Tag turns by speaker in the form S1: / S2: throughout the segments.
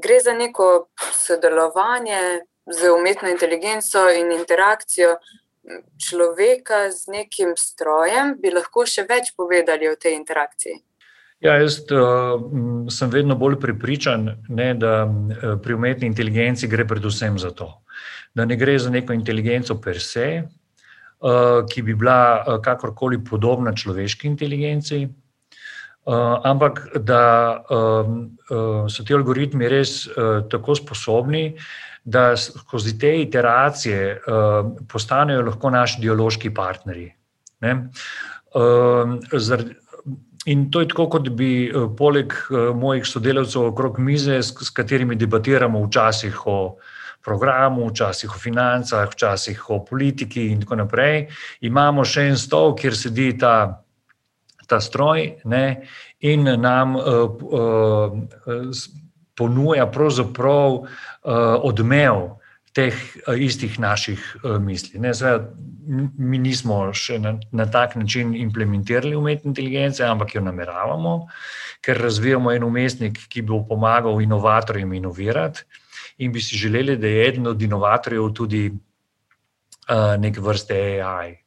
S1: gre za neko sodelovanje z umetno inteligenco in interakcijo človeka z nekim strojem. Bi lahko še več povedali o tej interakciji?
S2: Ja, jaz sem vedno bolj prepričan, da pri umetni inteligenci gre predvsem za to. Da ne gre za neko inteligenco per se, ki bi bila kakorkoli podobna človeški inteligenci, ampak da so ti algoritmi res tako sposobni, da skozi te iteracije postanejo lahko naši dialoški partnerji. In to je tako, kot bi poleg mojih sodelavcev okrog mize, s katerimi debatiramo včasih o programu, včasih o financah, včasih o politiki in tako naprej, imamo še en stol, kjer sedi ta stroj, in nam ponuja pravzaprav odmev teh istih naših misli. Mi nismo še na tak način implementirali umetne inteligence, ampak jo nameravamo, ker razvijamo en vmesnik, ki bo pomagal inovatorjem inovirati, in bi si želeli, da je eden od inovatorjev tudi neke vrste AI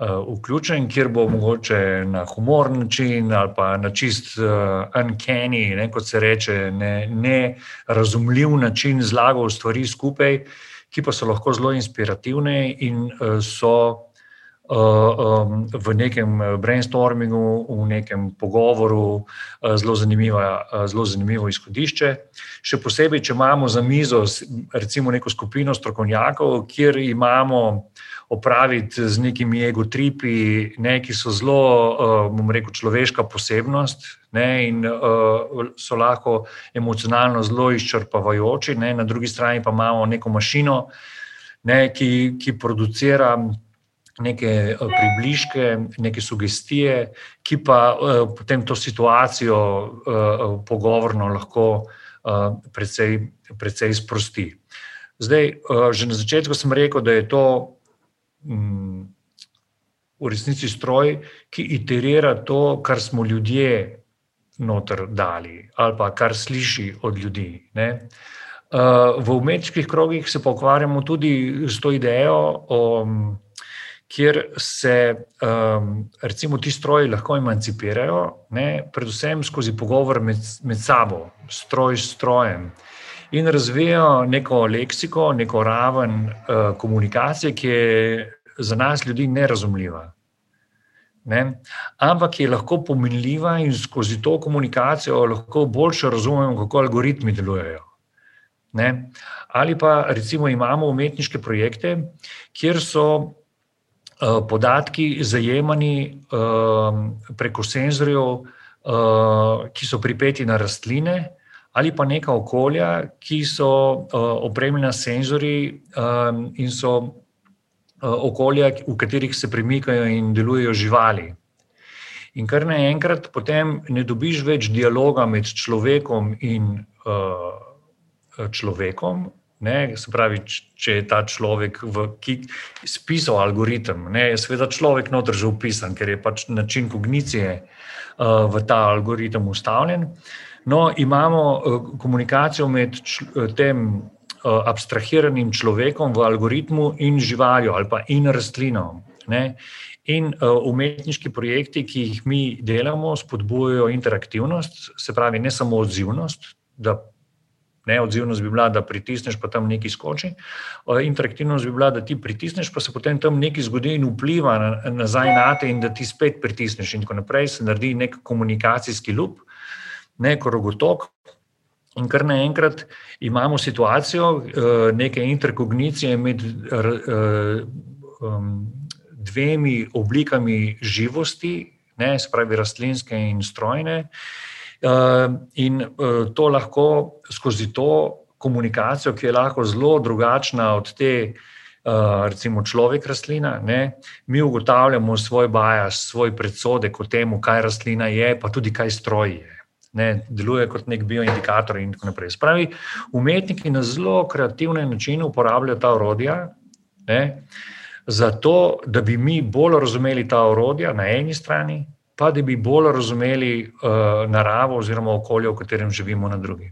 S2: vključen, kjer bo mogoče na humoren način ali pa na čist uncanny, kot se reče, nerazumljiv način zlagal stvari skupaj, ki pa so lahko zelo inspirativne in so v nekem brainstormingu, v nekem pogovoru zelo zanimivo izhodišče. Še posebej, če imamo za mizo recimo neko skupino strokovnjakov, kjer imamo opraviti z nekimi egotripi, ki so zelo, bom rekel, človeška posebnost, in so lahko emocionalno zelo izčrpavajoči, na drugi strani pa imamo neko mašino, ki producira neke približke, neke sugestije, ki pa potem to situacijo pogovorno lahko precej sprosti. Zdaj, že na začetku sem rekel, da je to v resnici stroj, ki iterira to, kar smo ljudje noter dali, ali pa kar sliši od ljudi. V umetniških krogih se pa ukvarjamo tudi s to idejo, kjer se recimo ti stroji lahko emancipirajo, predvsem skozi pogovor med sabo, stroj s strojem, in razvijajo neko leksiko, neko raven komunikacije, ki je za nas ljudi nerazumljiva. Ampak je lahko pomenljiva in skozi to komunikacijo lahko boljše razumemo, kako algoritmi delujejo. Ali pa recimo imamo umetniške projekte, kjer so podatki zajemani preko senzorjev, ki so pripeti na rastline, ali pa neka okolja, ki so opremljena s senzorji in so okolja, v katerih se premikajo in delujejo živali. In kar naenkrat potem ne dobiš več dialoga med človekom in človekom, se pravi, če je ta človek ki spisal algoritem, je seveda človek noter že vpisan, ker je pač način kognicije v ta algoritem ustavljen. No, imamo komunikacijo med tem abstrahiranim človekom v algoritmu in živaljo ali pa in rastlino. In umetniški projekti, ki jih mi delamo, spodbujajo interaktivnost, se pravi ne samo odzivnost, odzivnost bi bila, da pritisneš, pa tam nekaj skoči, interaktivnost bi bila, da ti pritisneš, pa se potem tam nekaj zgodi in vpliva nazaj nate in da ti spet pritisneš in tako naprej, se naredi nek komunikacijski loop, krogotok, in kar naenkrat imamo situacijo neke interkognicije med dvemi oblikami živosti, se pravi rastlinske in strojne, in to lahko skozi to komunikacijo, ki je lahko zelo drugačna od te, recimo človek rastlina, mi ugotavljamo svoj bias, svoj predsodek o temu, kaj rastlina je, pa tudi kaj stroj je. Deluje kot nek bioindikator in tako naprej. Spravi, umetniki na zelo kreativne načine uporabljajo ta orodja, zato, da bi mi bolj razumeli ta orodja na eni strani, pa da bi bolj razumeli naravo oziroma okolje, v katerem živimo na drugi.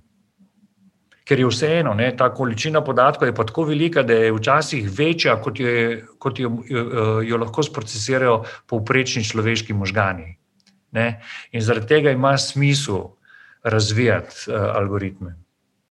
S2: ker je vseeno, ta količina podatkov je pa tako velika, da je včasih večja, kot jo lahko sprocesirajo povprečni človeški možgani. In zaradi tega ima smisel razvijati algoritme.